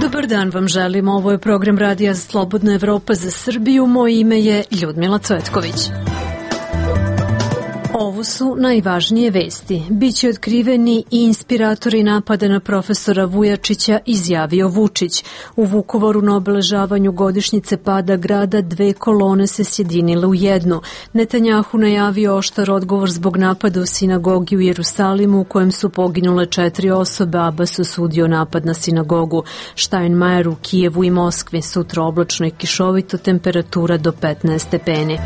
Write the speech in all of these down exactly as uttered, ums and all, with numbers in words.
Dobar dan vam želim, ovo je program Radija Slobodna Evropa za Srbiju, moje ime je Ljudmila Cvetković. Ovo su najvažnije vesti. Biće otkriveni i inspiratori napada na profesora Vujačića, izjavio Vučić. U Vukovaru na obeležavanju godišnjice pada grada dve kolone se sjedinile u jednu. Netanjahu najavio oštar odgovor zbog napada u sinagogi u Jerusalimu u kojem su poginule četiri osobe. Abbas osudio napad na sinagogu. Steinmeier u Kijevu i Moskvi. Sutra oblačno i kišovito, temperatura do petnaest stepeni.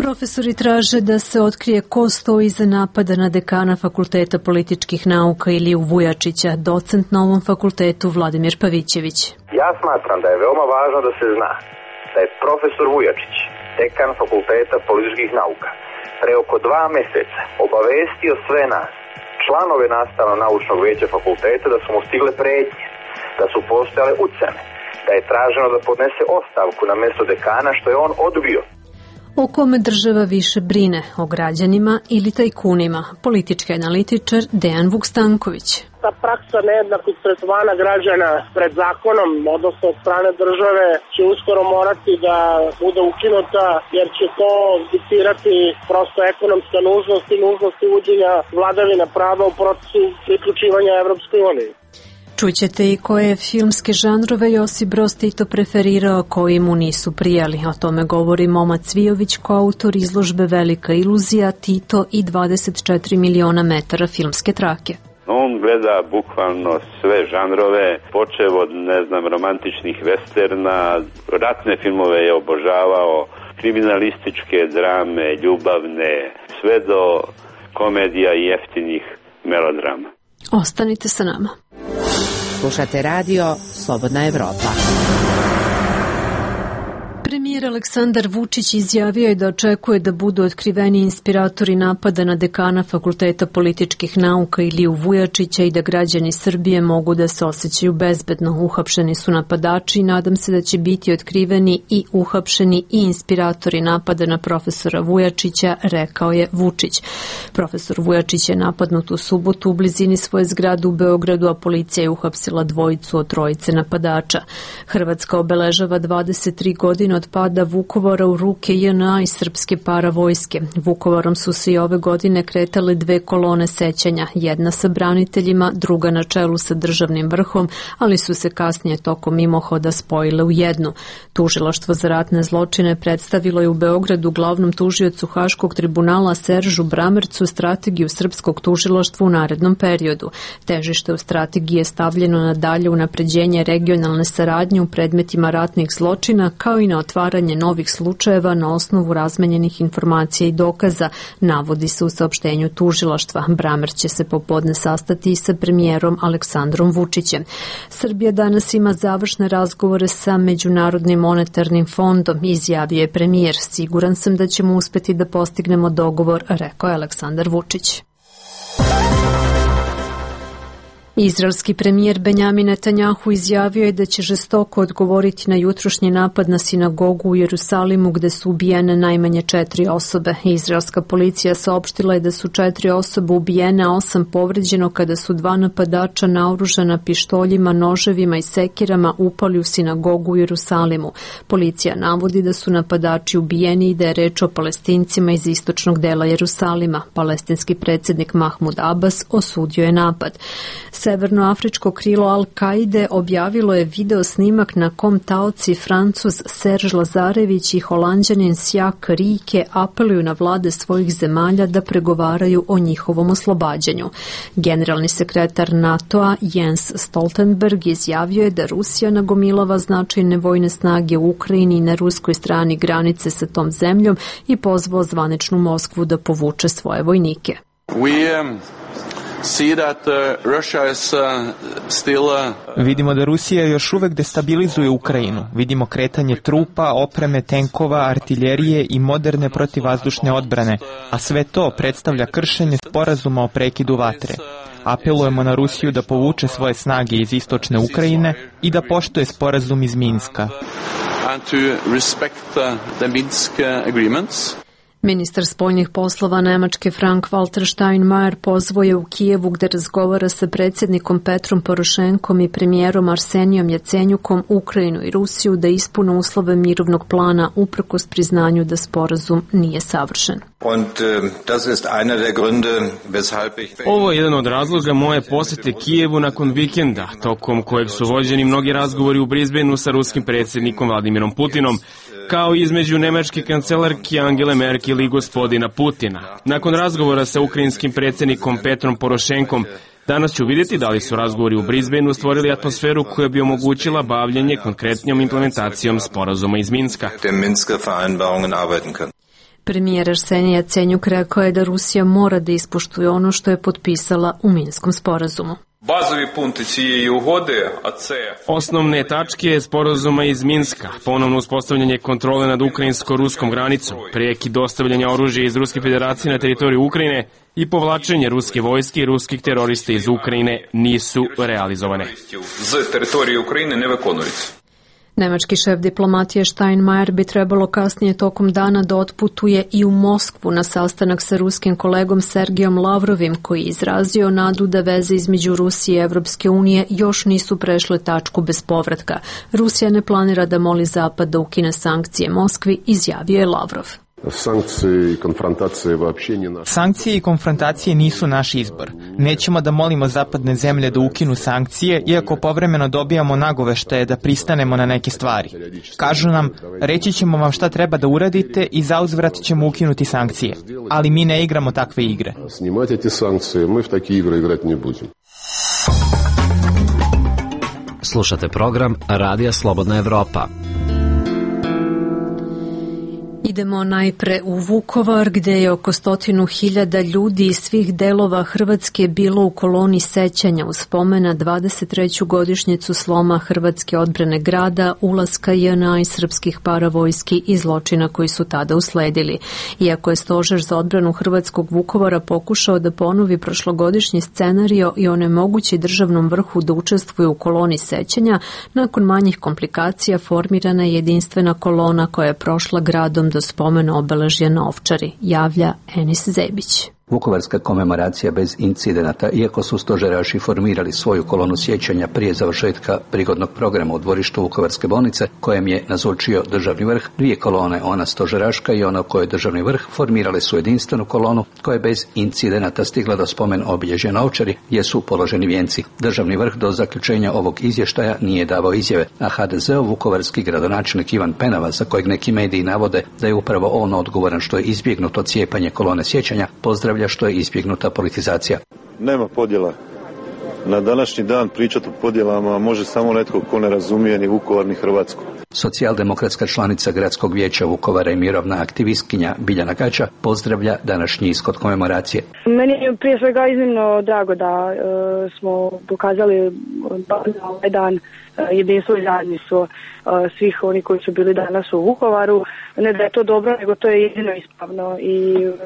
Profesori traže da se otkrije ko stoji iza napada na dekana Fakulteta političkih nauka Iliju Vujačića, docent na ovom fakultetu Vladimir Pavićević. Ja smatram da je veoma važno da se zna da je profesor Vujačić, dekan Fakulteta političkih nauka, pre oko dva meseca obavestio sve nas, članove nastavno-naučnog veća fakulteta, da su mu stigle pretnje, da su postojale ucene, da je traženo da podnese ostavku na mesto dekana, što je on odbio. O kome država više brine, o građanima ili tajkunima? Politički analitičar Dejan Vukstanković. Ta praksa nejednakog tretmana građana pred zakonom, odnosno od strane države, će uskoro morati da bude ukinuta, jer će to diktirati prosto ekonomska nužnost i nužnost uvođenja vladavine prava u procesu priključivanja Evropskoj uniji. Čućete i koje filmske žanrove Josip Broz Tito preferirao, koji mu nisu prijali. O tome govori Moma Cvijović, koautor izložbe Velika iluzija, Tito i dvadeset četiri miliona metara filmske trake. On gleda bukvalno sve žanrove, počev od, ne znam, romantičnih westerna, ratne filmove je obožavao, kriminalističke drame, ljubavne, sve do komedija i jeftinih melodrama. Ostanite sa nama. Slušate radio Slobodna Evropa. Premijer Aleksandar Vučić izjavio je da očekuje da budu otkriveni inspiratori napada na dekana Fakulteta političkih nauka Iliju Vujačića i da građani Srbije mogu da se osjećaju bezbedno. Uhapšeni su napadači i nadam se da će biti otkriveni i uhapšeni i inspiratori napada na profesora Vujačića, rekao je Vučić. Profesor Vujačić je napadnut u subotu u blizini svoje zgrade u Beogradu, a policija je uhapsila dvojicu od trojice napadača. Hrvatska obeležava dvadeset tri godine od pada Vukovara u ruke J N A i srpske paravojske. Vukovarom su se i ove godine kretale dve kolone sećanja, jedna sa braniteljima, druga na čelu sa državnim vrhom, ali su se kasnije tokom mimohoda spojile u jednu. Tužilaštvo za ratne zločine predstavilo je u Beogradu glavnom tužiocu Haškog tribunala Seržu Bramercu strategiju srpskog tužilaštva u narednom periodu. Težište u strategiji je stavljeno na dalje unapređenje regionalne saradnje u predmetima ratnih zločina, kao i na otvaranje novih slučajeva na osnovu razmenjenih informacija i dokaza, navodi se u saopštenju tužilaštva. Bramer će se popodne sastati i sa premijerom Aleksandrom Vučićem. Srbija danas ima završne razgovore sa Međunarodnim monetarnim fondom, izjavio je premijer. Siguran sam da ćemo uspeti da postignemo dogovor, rekao je Aleksandar Vučić. Izraelski premijer Benjamin Netanjahu izjavio je da će žestoko odgovoriti na jutrošnji napad na sinagogu u Jerusalimu gde su ubijene najmanje četiri osobe. Izraelska policija saopštila je da su četiri osobe ubijene, a osam povređeno kada su dva napadača naoružana pištoljima, noževima i sekirama upali u sinagogu u Jerusalimu. Policija navodi da su napadači ubijeni i da je reč o Palestincima iz istočnog dela Jerusalima. Palestinski predsjednik Mahmud Abbas osudio je napad. Severnoafričko krilo Al-Kaide objavilo je video snimak na kom taoci Francuz Serge Lazarević i Holanđanin Sjak Rike apeluju na vlade svojih zemalja da pregovaraju o njihovom oslobađanju. Generalni sekretar NATO-a Jens Stoltenberg izjavio je da Rusija nagomilava značajne vojne snage u Ukrajini i na ruskoj strani granice sa tom zemljom i pozvao zvaničnu Moskvu da povuče svoje vojnike. We, um... Vidimo da Rusija još uvek destabilizuje Ukrajinu. Vidimo kretanje trupa, opreme, tenkova, artiljerije i moderne protivvazdušne odbrane, a sve to predstavlja kršenje sporazuma o prekidu vatre. Apelujemo na Rusiju da povuče svoje snage iz istočne Ukrajine i da poštuje sporazum iz Minska. Ministar spoljnih poslova Nemačke Frank-Walter Steinmeier pozvao je u Kijevu gde razgovara sa predsjednikom Petrom Porošenkom i premijerom Arsenijom Jacenjukom Ukrajinu i Rusiju da ispune uslove mirovnog plana uprkos priznanju da sporazum nije savršen. Ovo je jedan od razloga moje posete Kijevu nakon vikenda, tokom kojeg su vođeni mnogi razgovori u Brisbaneu sa ruskim predsjednikom Vladimirom Putinom, kao i između nemačke kancelarke Angele Merkel i gospodina Putina. Nakon razgovora sa ukrajinskim predsjednikom Petrom Porošenkom, danas ću vidjeti da li su razgovori u Brisbaneu stvorili atmosferu koja bi omogućila bavljenje konkretnijom implementacijom sporazuma iz Minska. Premijer Arsenij Jacenjuk rekao je da Rusija mora da ispoštuje ono što je potpisala u Minskom sporazumu. Osnovne tačke sporazuma iz Minska, ponovno uspostavljanje kontrole nad ukrajinsko-ruskom granicom, prekid dostavljanja oružja iz Ruske federacije na teritoriju Ukrajine i povlačenje ruske vojske i ruskih terorista iz Ukrajine nisu realizovane. Nemački šef diplomatije Steinmeier bi trebalo kasnije tokom dana da otputuje i u Moskvu na sastanak sa ruskim kolegom Sergijom Lavrovim, koji je izrazio nadu da veze između Rusije i Evropske unije još nisu prešle tačku bez povratka. Rusija ne planira da moli Zapad da ukine sankcije Moskvi, izjavio je Lavrov. Sankcije i konfrontacije nisu naš izbor. Nećemo da molimo zapadne zemlje da ukinu sankcije, iako povremeno dobijamo nagoveštaje da pristanemo na neke stvari. Kažu nam, reći ćemo vam šta treba da uradite i zauzvrat ćemo ukinuti sankcije. Ali mi ne igramo takve igre. Slušate program Radija Slobodna Evropa. Idemo najpre u Vukovar, gde je oko stotinu hiljada ljudi iz svih delova Hrvatske bilo u koloni sećanja u spomen na dvadeset treću godišnjicu sloma Hrvatske odbrane grada, ulaska J N A i srpskih paravojski i zločina koji su tada usledili. Iako je Stožer za odbranu Hrvatskog Vukovara pokušao da ponovi prošlogodišnji scenario i onemogući državnom vrhu da učestvuje u koloni sećanja, nakon manjih komplikacija formirana je jedinstvena kolona koja je prošla gradom do spomena obeležja na Ovčari, javlja Enis Zebić. Vukovarska komemoracija bez incidenata, iako su stožeraši formirali svoju kolonu sjećanja prije završetka prigodnog programa u dvorištu Vukovarske bolnice, kojem je nazočio državni vrh, dvije kolone, ona stožeraška i ona u kojoj državni vrh, formirale su jedinstvenu kolonu koja je bez incidenata stigla do spomen obilježja na Ovčari, gdje su položeni vijenci. Državni vrh do zaključenja ovog izvještaja nije davao izjave, a H D Z-ov vukovarski gradonačelnik Ivan Penava, za kojeg neki mediji navode da je upravo on odgovoran što je izbjegnuto cijepanje kolone sjećanja, pozdravlja što je izbjegnuta politizacija. Nema podjela. Na današnji dan pričati o podjelama može samo netko ko ne razumije ni Vukovar ni Hrvatsku. Socijaldemokratska članica Gradskog vijeća Vukovara i mirovna aktivistkinja Biljana Gača pozdravlja današnji ishod komemoracije. Meni je prije svega iznimno drago da e, smo pokazali na ovaj dan jedinstvo i zajedništvo svih oni koji su bili danas u Vukovaru. Ne da je to dobro, nego to je jedino ispravno i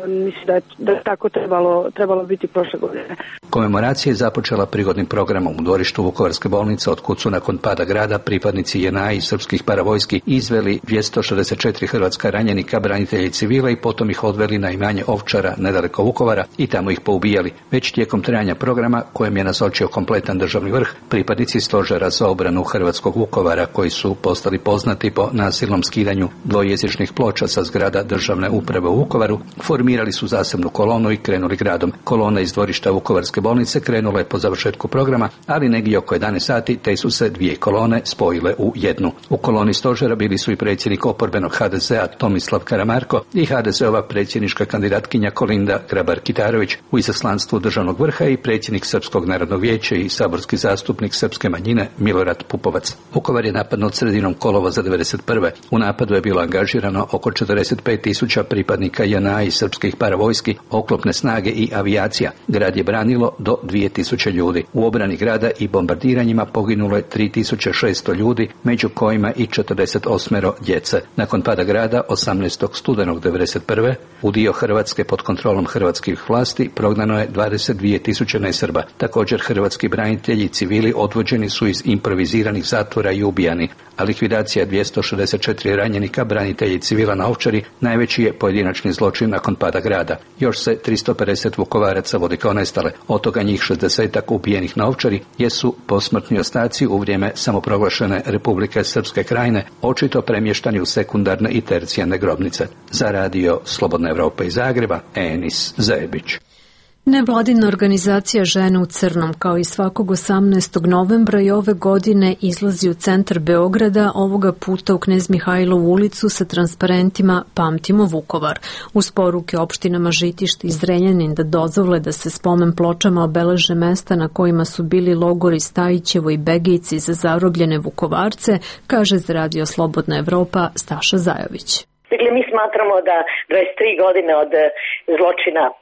mislim da je, da je tako trebalo, trebalo biti prošle godine. Komemoracija je započela prigodnim programom u dvorištu Vukovarske bolnice, od kud su nakon pada grada pripadnici J N A i srpskih paravojski izveli dvjesto šezdeset četiri hrvatska ranjenika, branitelja i civila i potom ih odveli na imanje Ovčara nedaleko Vukovara i tamo ih poubijali. Već tijekom trajanja programa, kojem je nazočio kompletan državni vrh, pripadnici Stožera za obranu Hrvatskog Vukovara, koji su postali poznati po nasilnom skidanju dvojezičnih ploča sa zgrada državne uprave u Vukovaru, formirali su zasebnu kolonu i krenuli gradom. Kolona iz dvorišta Vukovarske bolnice krenula je po završetku programa, ali negdje oko jedanaest sati te su se dvije kolone spojile u jednu. U koloni stožera bili su i predsjednik oporbenog H D Z-a Tomislav Karamarko i H D Z-ova predsjednička kandidatkinja Kolinda Grabar-Kitarović, u izaslanstvu državnog vrha i predsjednik Srpskog narodnog vijeća i saborski zastupnik srpske manjine Milorad Pupovac. Vukovar je napadnut sredinom kolovoza devedeset prve. U napadu je bilo angažirano oko četrdeset pet tisuća pripadnika J N A i srpskih paravojski, oklopne snage i avijacija. Grad je branilo do dvije tisuće ljudi. U obrani grada i bombardiranjima poginulo je tri tisuće šesto ljudi, među kojima i četrdeset osam djece. Nakon pada grada osamnaestog studenog devedeset prve u dio Hrvatske pod kontrolom hrvatskih vlasti prognano je dvadeset dvije tisuće nesrba. Također hrvatski branitelji i civili odvođeni su iz improviziranih zatvora i ubijani, a likvidacija dvjesto šezdeset četiri ranjenika, branitelji i civila na Ovčari najveći je pojedinačni zločin nakon pada grada. Još se tristo pedeset Vukovaraca vodi kao nestale, od toga njih šezdesetak ubijenih na Ovčari jesu posmrtni ostaci u vrijeme samoproglašene Republike Srpske Krajine, očito premještani u sekundarne i tercijarne grobnice. Za radio Slobodna Evropa iz Zagreba, Enis Zebić. Nevladina organizacija Žene u crnom kao i svakog osamnaestog novembra i ove godine izlazi u centar Beograda, ovoga puta u Knez Mihajlovu ulicu sa transparentima Pamtimo Vukovar. Uz poruke opštinama Žitište i Zrenjanin da dozvole da se spomen pločama obeleže mesta na kojima su bili logori Stajićevo i Begejci za zarobljene Vukovarce, kaže za radio Slobodna Evropa Staša Zajović. Dakle, mi smatramo da dvadeset tri godine od zločina m,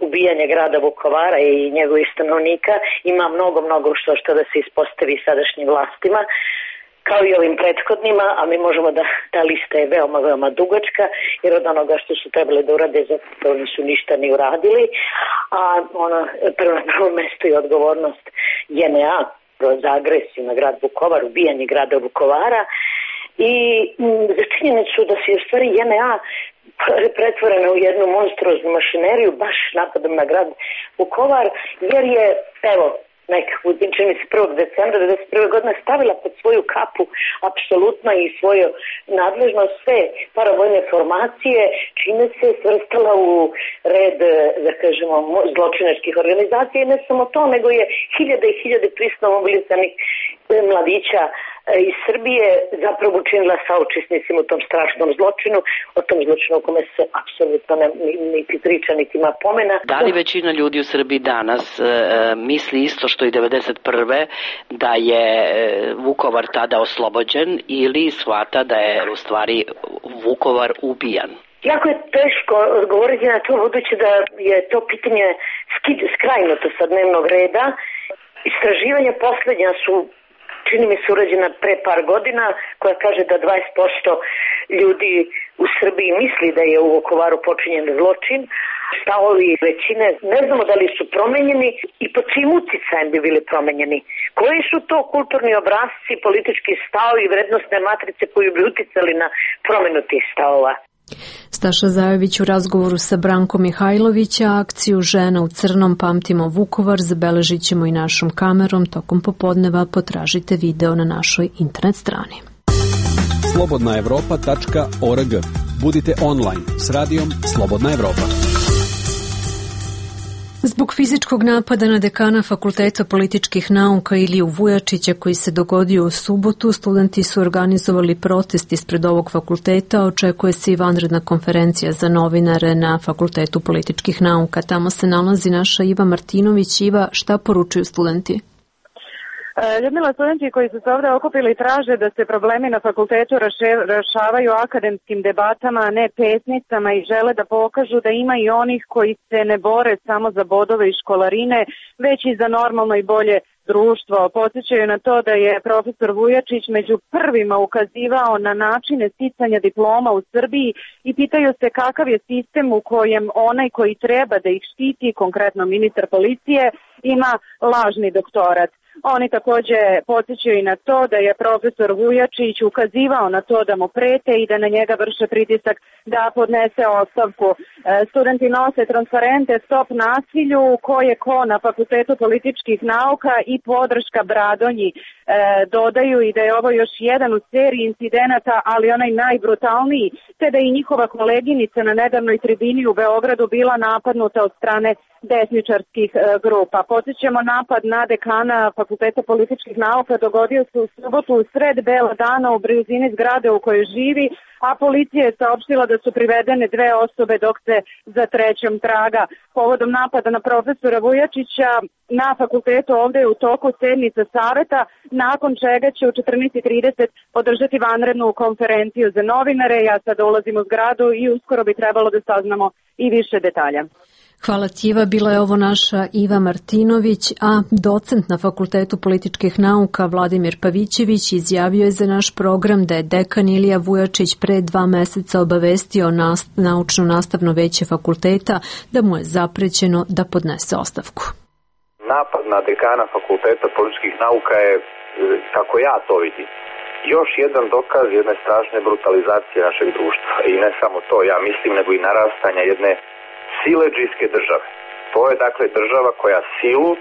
ubijanja grada Vukovara i njegovih stanovnika ima mnogo, mnogo što što da se ispostavi sadašnjim vlastima, kao i ovim prethodnima, a mi možemo da ta lista je veoma, veoma dugačka, jer od onoga što su trebali da urade, zato nisu ništa ni uradili, a ono, prvo na prvom mestu je odgovornost J N A za agresiju na grad Vukovar, ubijanje grada Vukovara, i za činjenicu da se u stvari J N A pretvorena u jednu monstruoznu mašineriju baš napadom na grad Vukovar, jer je, evo, nekako, čini se prvog decembra devedeset prve godine stavila pod svoju kapu apsolutno i svoju nadležnost sve paravojne formacije, čime se svrstala u red, da kažemo, zločinačkih organizacija, i ne samo to, nego je hiljade i hiljade prisno mobilizanih mladića iz Srbije zapravo učinila saučesnicima u tom strašnom zločinu, o tom zločinu o kome se apsolutno ne, niti priča, niti ima pomena. Da li većina ljudi u Srbiji danas e, misli isto što i devedeset prve da je Vukovar tada oslobođen, ili shvata da je u stvari Vukovar ubijan? Jako je teško odgovoriti na to, budući da je to pitanje skrajnuto sa dnevnog reda. Istraživanja posljednja su, čini mi se, urađena pre par godina, koja kaže da dvadeset posto ljudi u Srbiji misli da je u Vukovaru počinjen zločin. Stavovi većine ne znamo da li su promenjeni i pod čim uticajem bi bili promenjeni. Koji su to kulturni obrasci, politički stavovi i vrednostne matrice koji bi uticali na promenu tih stavova? Staša Zajović u razgovoru sa Brankom Mihajlovića akciju Žena u crnom Pamtimo Vukovar zabeležit ćemo i našom kamerom tokom popodneva. Potražite video na našoj internet strani. slobodna evropa tačka org. Budite online s radijom Slobodna Evropa. Zbog fizičkog napada na dekana Fakulteta političkih nauka Iliju Vujačića koji se dogodio u subotu, studenti su organizovali protest ispred ovog fakulteta. Očekuje se i vanredna konferencija za novinare na Fakultetu političkih nauka. Tamo se nalazi naša Iva Martinović. Iva, šta poručuju studenti? Ljudmila, studenti koji su se ovdje okupili traže da se problemi na fakultetu rešavaju akademskim debatama, a ne pesnicama, i žele da pokažu da ima i onih koji se ne bore samo za bodove i školarine, već i za normalno i bolje društvo. Podsjećaju na to da je profesor Vujačić među prvima ukazivao na načine sticanja diploma u Srbiji i pitaju se kakav je sistem u kojem onaj koji treba da ih štiti, konkretno ministar policije, ima lažni doktorat. Oni također podsjećaju i na to da je profesor Vujačić ukazivao na to da mu prete i da na njega vrše pritisak da podnese ostavku. Studenti nose transparente Stop nasilju, ko je ko na Fakultetu političkih nauka i podrška Bradonji. Dodaju i da je ovo još jedan u seriji incidenata, ali onaj najbrutalniji, te da i njihova koleginica na nedavnoj tribini u Beogradu bila napadnuta od strane desničarskih grupa. Podsjećamo, napad na dekana Fakulteta političkih nauka dogodio se u subotu u sred bela dana u blizini zgrade u kojoj živi, a policija je saopštila da su privedene dve osobe dok se za trećom traga. Povodom napada na profesora Vujačića na fakultetu ovdje je u toku sednica saveta, nakon čega će u četrnaest i trideset održati vanrednu konferenciju za novinare. Ja sada ulazim u zgradu i uskoro bi trebalo da saznamo i više detalja. Hvala ti, Iva. Bila je ovo naša Iva Martinović, a docent na Fakultetu političkih nauka Vladimir Pavićević izjavio je za naš program da je dekan Ilija Vujačić pre dva meseca obavestio nas, naučno-nastavno veće fakulteta da mu je zaprećeno da podnese ostavku. Napad na dekana Fakulteta političkih nauka je, kako ja to vidim, još jedan dokaz jedne strašne brutalizacije našeg društva. I ne samo to, ja mislim, nego i narastanja jedne siledžijske države. To je dakle država koja silu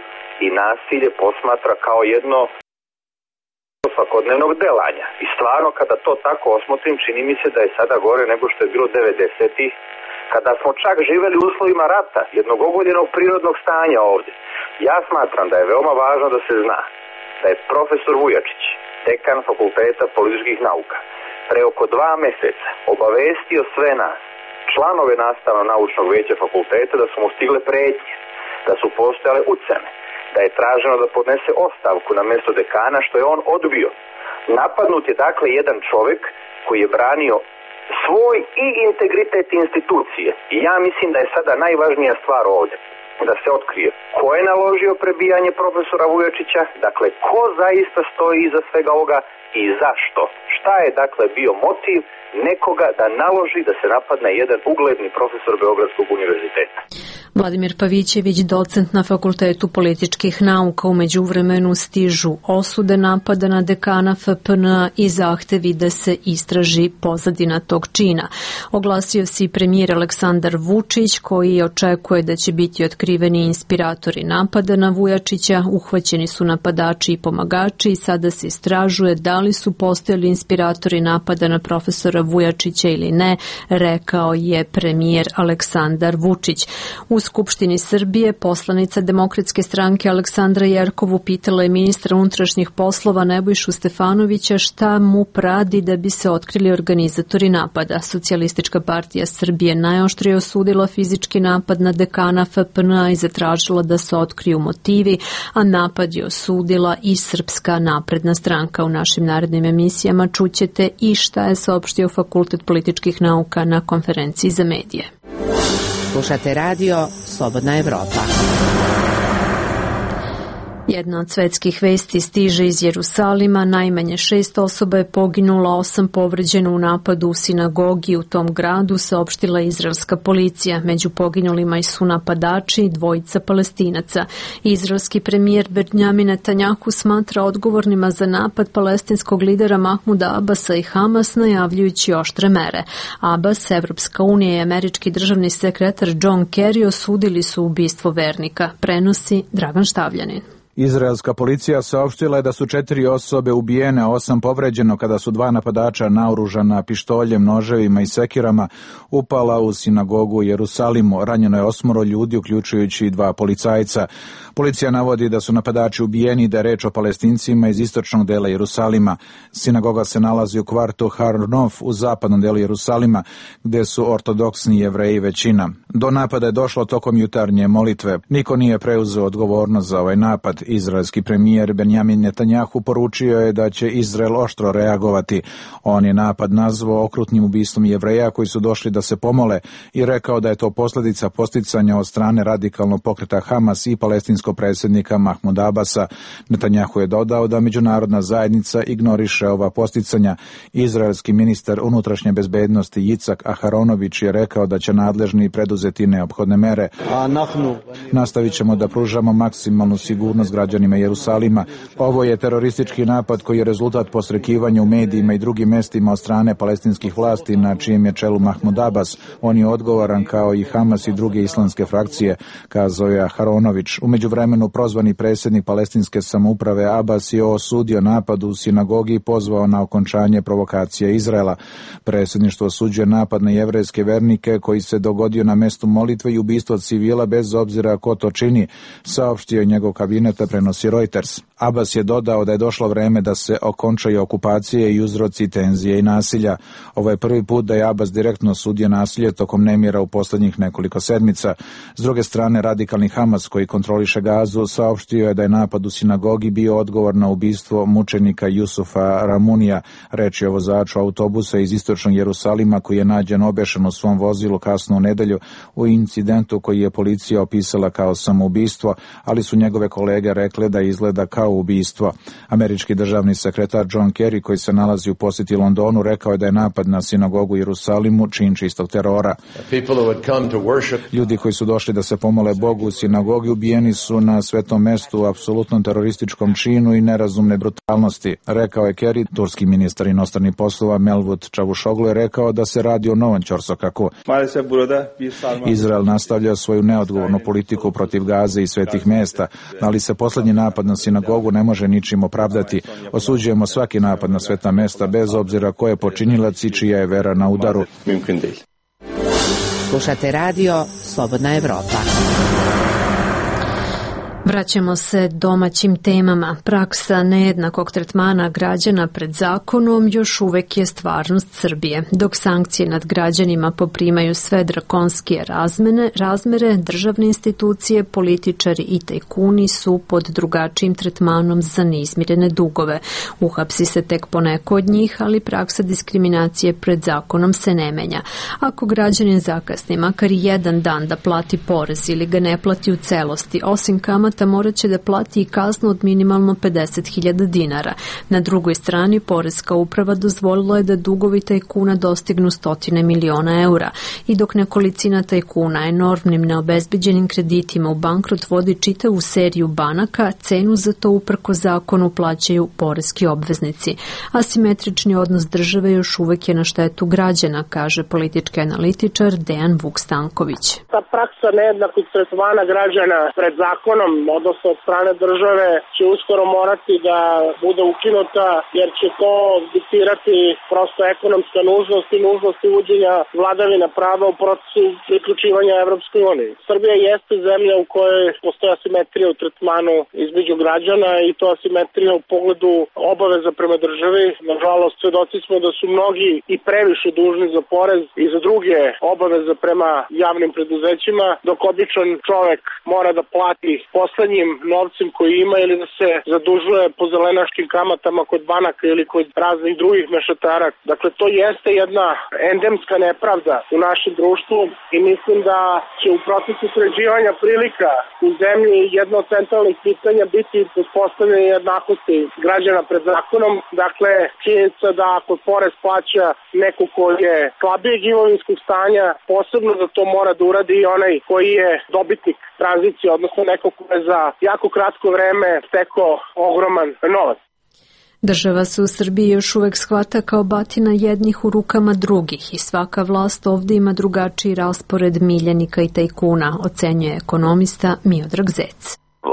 i nasilje posmatra kao jedno svakodnevnog delanja. I stvarno kada to tako osmotrim, čini mi se da je sada gore nego što je bilo devedesetih, kada smo čak živeli u uslovima rata, jednog ogoljenog prirodnog stanja ovdje. Ja smatram da je veoma važno da se zna da je profesor Vujačić, dekan Fakulteta političkih nauka, pre oko dva meseca obavestio sve nas, članove nastavno-naučnog veća fakulteta, da su mu stigle pretnje, da su postojale ucene, da je traženo da podnese ostavku na mjesto dekana, što je on odbio. Napadnut je dakle jedan čovjek koji je branio svoj i integritet institucije. I ja mislim da je sada najvažnija stvar ovdje da se otkrije ko je naložio prebijanje profesora Vujačića, dakle ko zaista stoji iza svega ovoga i zašto. Šta je dakle bio motiv nekoga da naloži da se napadne jedan ugledni profesor Beogradskog univerziteta? Vladimir Pavićević, docent na Fakultetu političkih nauka. U međuvremenu stižu osude napada na dekana F P N A i zahtevi da se istraži pozadina tog čina. Oglasio se i premijer Aleksandar Vučić, koji očekuje da će biti otkriveni inspiratori napada na Vujačića. Uhvaćeni su napadači i pomagači i sada se istražuje da li su postojali inspiratori napada na profesora Vujačića ili ne, rekao je premijer Aleksandar Vučić. U Skupštini Srbije poslanica Demokratske stranke Aleksandra Jerkov upitala je ministra unutrašnjih poslova Nebojšu Stefanovića šta mu radi da bi se otkrili organizatori napada. Socijalistička partija Srbije najoštrije osudila fizički napad na dekana F P N A i zatražila da se otkriju motivi, a napad je osudila i Srpska napredna stranka. U našim narednim emisijama čućete i šta je saopštio Fakultet političkih nauka na konferenciji za medije. Slušate radio Slobodna Evropa. Jedna od svetskih vesti stiže iz Jerusalima. Najmanje šest osoba je poginulo, osam povređeno u napadu u sinagogi u tom gradu, saopštila izraelska policija. Među poginulima su napadači i dvojica Palestinaca. Izraelski premijer Benjamin Netanjahu smatra odgovornima za napad palestinskog lidera Mahmuda Abasa i Hamas, najavljujući oštre mere. Abbas, Evropska unija i američki državni sekretar John Kerry osudili su ubistvo vernika. Prenosi Dragan Štavljanin. Izraelska policija saopštila je da su četiri osobe ubijene, a osam povređeno kada su dva napadača naoružana pištoljem, noževima i sekirama upala u sinagogu u Jerusalimu. Ranjeno je osmoro ljudi, uključujući i dva policajca. Policija navodi da su napadači ubijeni i da je reč o Palestincima iz istočnog dela Jerusalima. Sinagoga se nalazi u kvartu Har Nof u zapadnom delu Jerusalima, gde su ortodoksni Jevreji većina. Do napada je došlo tokom jutarnje molitve. Niko nije preuzeo odgovornost za ovaj napad. Izraelski premijer Benjamin Netanjahu poručio je da će Izrael oštro reagovati. On je napad nazvao okrutnim ubistvom Jevreja koji su došli da se pomole i rekao da je to posljedica posticanja od strane radikalnog pokreta Hamas i palestinskog predsjednika Mahmuda Abasa. Netanjahu je dodao da međunarodna zajednica ignoriše ova posticanja. Izraelski ministar unutrašnje bezbednosti Jicak Aharonović je rekao da će nadležni preduzeti neophodne mere. Nastavit ćemo da pružamo maksimalnu sigurnost građanima Jerusalima. Ovo je teroristički napad koji je rezultat posrekivanja u medijima i drugim mestima od strane palestinskih vlasti na čijem je čelu Mahmud Abbas. On je odgovoran kao i Hamas i druge islamske frakcije, kazao je Aharonović. U međuvremenu prozvani predsjednik palestinske samouprave Abbas je osudio napad u sinagogi i pozvao na okončanje provokacije Izraela. Predsjedništvo osuđuje napad na jevrejske vernike koji se dogodio na mestu molitve i ubistvo civila bez obzira ko to čini, saopštio je njegov kabinet dakle prenosi Reuters. Abbas je dodao da je došlo vreme da se okončaju okupacije i uzroci tenzije i nasilja. Ovo je prvi put da je Abbas direktno osudio nasilje tokom nemira u poslednjih nekoliko sedmica. S druge strane, radikalni Hamas koji kontroliše Gazu saopštio je da je napad u sinagogi bio odgovor na ubistvo mučenika Jusufa Ramunija, reč je o vozaču autobusa iz istočnog Jerusalima koji je nađen obešen u svom vozilu kasno u nedelju u incidentu koji je policija opisala kao samoubistvo, ali su njegove kolege rekle da izgleda kao ubistvo. Američki državni sekretar John Kerry, koji se nalazi u posjeti Londonu, rekao je da je napad na sinagogu u Jerusalimu čin čistog terora. Ljudi koji su došli da se pomole Bogu u sinagogi ubijeni su na svetom mestu u apsolutnom terorističkom činu i nerazumne brutalnosti, rekao je Kerry. Turski ministar inostranih poslova Mevlut Čavuşoglu je rekao da se radi o novom ćorsokaku. Izrael nastavlja svoju neodgovornu politiku protiv Gaze i svetih mesta, ali se poslednji napad na sinagogu ne može ničim opravdati. Osuđujemo svaki napad na sveta mesta, bez obzira ko je počinilac i čija je vera na udaru. Slušate radio Slobodna Evropa. Vraćamo se domaćim temama. Praksa nejednakog tretmana građana pred zakonom još uvek je stvarnost Srbije. Dok sankcije nad građanima poprimaju sve drakonskije razmene, razmere, državne institucije, političari i tajkuni su pod drugačijim tretmanom za neizmirene dugove. Uhapsi se tek poneko od njih, ali praksa diskriminacije pred zakonom se ne menja. Ako građanin zakasni makar jedan dan da plati porez ili ga ne plati u celosti, osim kamata morat će da plati i kaznu od minimalno pedeset hiljada dinara. Na drugoj strani, poreska uprava dozvolila je da dugovi tajkuna dostignu stotine miliona eura i dok nekolicina tajkuna enormnim neobezbeđenim kreditima u bankrot vodi čitavu seriju banaka, cenu za to uprko zakonu plaćaju poreski obveznici. Asimetrični odnos države još uvek je na štetu građana, kaže politički analitičar Dejan Vuk-Stanković. Ta praksa nejednakog tretmana građana pred zakonom, odnosno od strane države, će uskoro morati da bude ukinuta, jer će to diktirati prosto ekonomska nužnost i nužnost uvođenja vladavina prava u procesu priključivanja Evropskoj uniji. Srbija jeste zemlja u kojoj postoje asimetrija u tretmanu između građana i to asimetrija u pogledu obaveza prema državi. Nažalost, svedoci smo da su mnogi i previše dužni za porez i za druge obaveze prema javnim preduzećima, dok običan čovek mora da plati poslednjim novcem koji ima ili da se zadužuje po zelenaškim kamatama kod banaka ili kod raznih drugih mešetara. Dakle, to jeste jedna endemska nepravda u našem društvu i mislim da će u procesu sređivanja prilika u zemlji jedno od centralnih pitanja biti uspostavljanje jednakosti građana pred zakonom. Dakle, činjenica da ako porez plaća neko koji je slabijeg imovinskog stanja, posebno da to mora da uradi i onaj koji je dobitnik tranzicije, odnosno neko ko je za jako kratko vreme stekao ogroman novac. Država se u Srbiji još uvek shvata kao batina jednih u rukama drugih i svaka vlast ovde ima drugačiji raspored miljenika i tajkuna, ocenjuje ekonomista Miodrag Zec.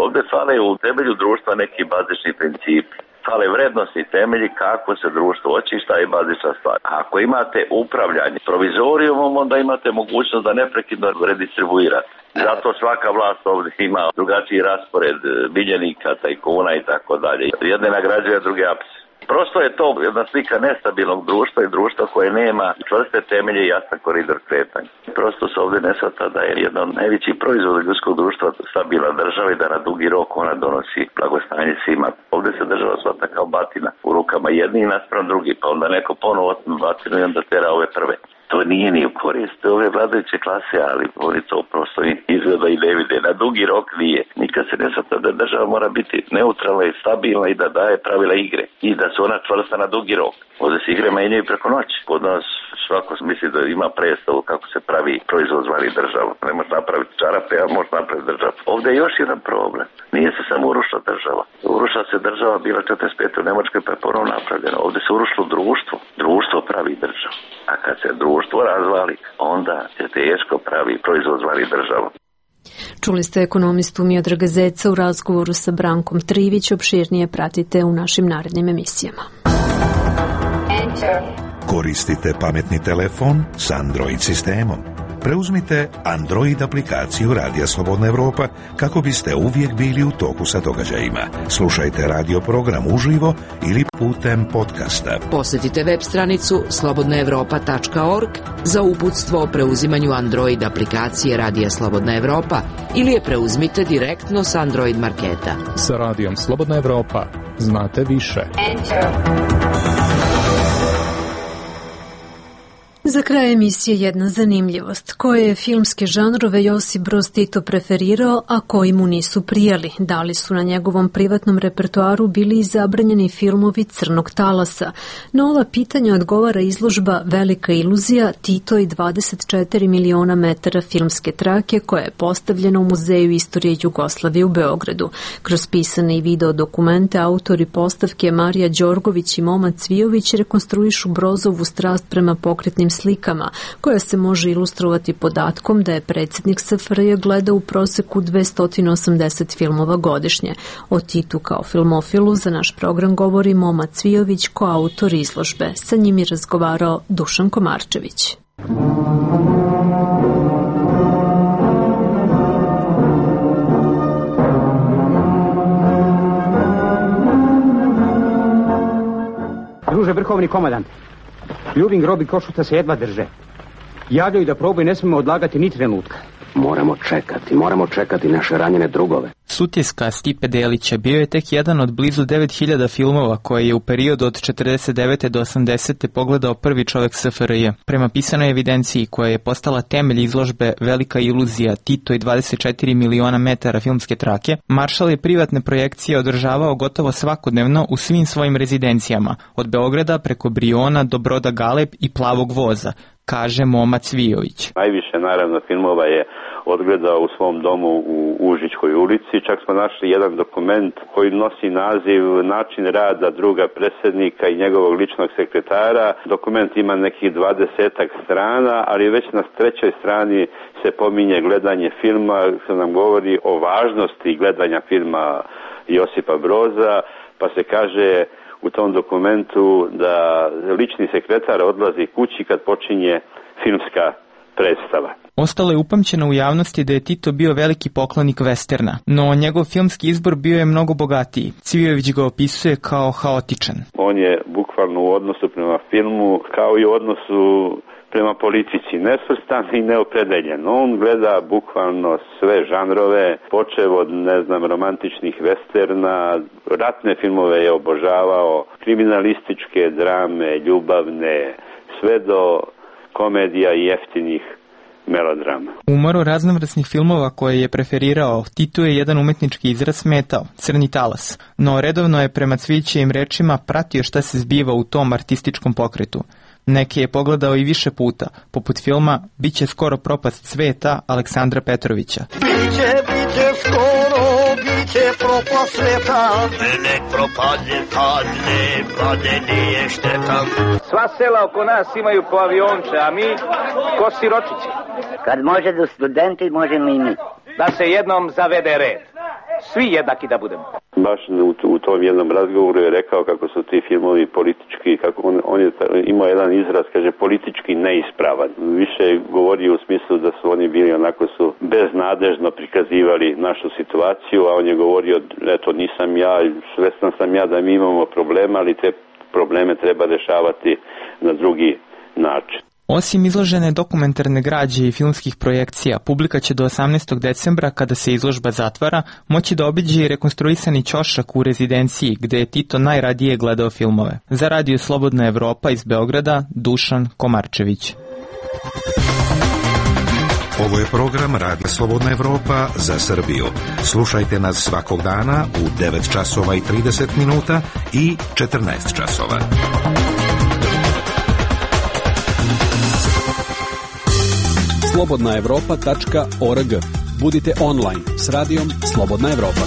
Ovde fale u temelju društva neki bazični principi. Fale vrednosti i temelji kako se društvo očišta i bazična stvar. Ako imate upravljanje provizorijumom, onda imate mogućnost da neprekidno redistribuirate. Zato svaka vlast ovdje ima drugačiji raspored miljenika, tajkuna i tako dalje. Jedne nagrađuje, druge apse. Prosto je to jedna slika nestabilnog društva i društva koje nema čvrste temelje i jasan koridor kretanja. Prosto se ovdje ne shvata da je jedan od najvećih proizvoda ljudskog društva stabilna država i da na dugi rok ona donosi blagostanje svima. Ovdje se država shvata kao batina u rukama jednih naspram drugih, pa onda neko ponovo otme batinu i onda tera ove prve. To nije ni u korist ove vladajuće klase, ali oni to prosto izgleda i ne vide. Na dugi rok nije. Nikad se ne shvata da država mora biti neutralna i stabilna i da daje pravila igre. I da su ona čvrsta na dugi rok. Ovdje se igre menjaju preko noći. Kod nas svako misli da ima predstavu kako se pravi proizvod zvani država. Ne može napraviti čarape, a može napraviti državu. Ovdje je još jedan problem. Nije se samo urušila država. Urušila se država bila četrdeset pete u Nemačkoj pa je ponovno napravljena. Ovdje se urušilo društvo. Društvo pravi državu. A kad se društvo razvali, onda se teško pravi proizvod zvani država. Čuli ste ekonomistu Miodraga Zeca u razgovoru sa Brankom Trivić. Opširnije pratite u našim narednim emisijama. Koristite pametni telefon s Android sistemom. Preuzmite Android aplikaciju Radija Slobodna Evropa kako biste uvijek bili u toku sa događajima. Slušajte radio program uživo ili putem podcasta. Posjetite web stranicu slobodna evropa tačka org za uputstvo o preuzimanju Android aplikacije Radija Slobodna Evropa ili je preuzmite direktno s Android marketa. Sa Radijom Slobodna Evropa znate više. Za kraj emisije jedna zanimljivost. Koje je filmske žanrove Josip Broz Tito preferirao, a koji mu nisu prijali? Da li su na njegovom privatnom repertoaru bili i zabranjeni filmovi Crnog talasa? Na ova pitanja odgovara izložba Velika iluzija Tito i dvadeset četiri miliona metara filmske trake koja je postavljena u Muzeju istorije Jugoslavije u Beogradu. Kroz pisane i video dokumente autori postavke Marija Đorgović i Moma Cvijović rekonstruišu Brozovu strast prema pokretnim slikama, koja se može ilustrovati podatkom da je predsjednik S F R J gledao u proseku dvesta osamdeset filmova godišnje. O Titu kao filmofilu za naš program govori Moma Cvijović, koautor izložbe. Sa njim je razgovarao Dušan Komarčević. Druže vrhovni komandant, Ljubin grob i Košuta se jedva drže. Javljaju da proboj ne smemo odlagati ni trenutka. Moramo čekati, moramo čekati naše ranjene drugove. Sutjeska Stipe Delića bio je tek jedan od blizu devet hiljada filmova koje je u periodu od četrdeset devete do osamdesete pogledao prvi čovjek S F R J. Prema pisanoj evidenciji koja je postala temelj izložbe Velika iluzija Tito i dvadeset četiri miliona metara filmske trake, Maršal je privatne projekcije održavao gotovo svakodnevno u svim svojim rezidencijama, od Beograda preko Briona do Broda Galeb i Plavog voza, kaže Moma Cvijović. Najviše naravno filmova je odgledao u svom domu u Užičkoj ulici. Čak smo našli jedan dokument koji nosi naziv Način rada druga predsjednika i njegovog ličnog sekretara. Dokument ima nekih dvadesetak strana, ali već na trećoj strani se pominje gledanje filma, što nam govori o važnosti gledanja filma Josipa Broza, pa se kaže u tom dokumentu da lični sekretar odlazi kući kad počinje filmska predstava. Ostalo je upamćeno u javnosti da je Tito bio veliki poklonik westerna, no njegov filmski izbor bio je mnogo bogatiji. Cvijović ga opisuje kao haotičan. On je bukvalno u odnosu prema filmu kao i u odnosu prema politici nesvrstan i neopredeljen. On gleda bukvalno sve žanrove, počev od, ne znam, romantičnih westerna, ratne filmove je obožavao, kriminalističke drame, ljubavne, sve do komedija i jeftinih melodrama. U umoru raznovrsnih filmova koje je preferirao, Tito je jedan umetnički izraz smetao, Crni talas, no redovno je prema Cvijićevim rečima pratio šta se zbiva u tom artističkom pokretu. Neke je pogledao i više puta, poput filma Biće skoro propast sveta Aleksandra Petrovića. Biće, biće skoro, biće propast sveta, nek propadne, padne, padne nije šteta. Sva sela oko nas imaju po avionče, a mi ko siročići. Kad može da studenti, možemo i mi. Da se jednom zavede red. Svi jednaki da budemo. Baš u, u tom jednom razgovoru je rekao kako su ti filmovi politički, kako on, on je imao jedan izraz, kaže, politički neispravan. Više govori u smislu da su oni bili onako su beznadežno prikazivali našu situaciju, a on je govorio, eto nisam ja, svestan sam ja da mi imamo problema, ali te probleme treba rešavati na drugi način. Osim izložene dokumentarne građe i filmskih projekcija, publika će do osamnaestog decembra, kada se izložba zatvara, moći da obiđe i rekonstruisani ćošak u rezidenciji, gde je Tito najradije gledao filmove. Za Radio Slobodna Evropa iz Beograda, Dušan Komarčević. Ovo je program Radija Slobodna Evropa za Srbiju. Slušajte nas svakog dana u devet časova i trideset minuta i četrnaest časova. slobodna evropa tačka org. Budite online s radijom Slobodna Evropa.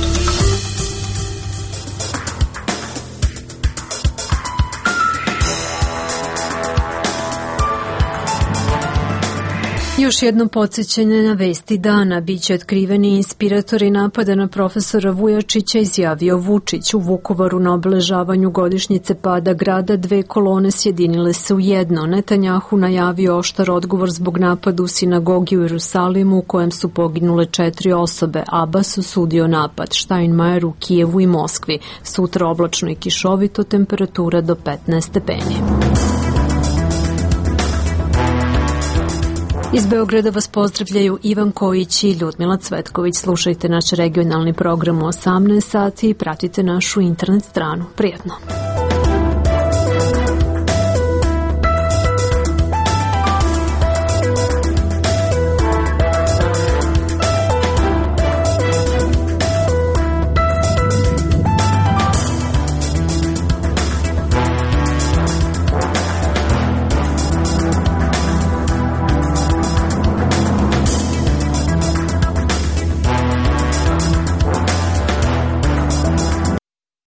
Još jedno podsjećanje na vesti dana. Biće otkriveni inspiratori napada na profesora Vujačića, izjavio Vučić. U Vukovaru na obeležavanju godišnjice pada grada dve kolone sjedinile se u jedno. Netanjahu najavio oštar odgovor zbog napada u sinagogi u Jerusalimu u kojem su poginule četiri osobe. Abbas osudio napad. Steinmeier u Kijevu i Moskvi. Sutra oblačno i kišovito, temperatura do petnaest stepeni. Iz Beograda vas pozdravljaju Ivan Kojić i Ljudmila Cvetković. Slušajte naš regionalni program u osamnaest sati i pratite našu internet stranu. Prijetno!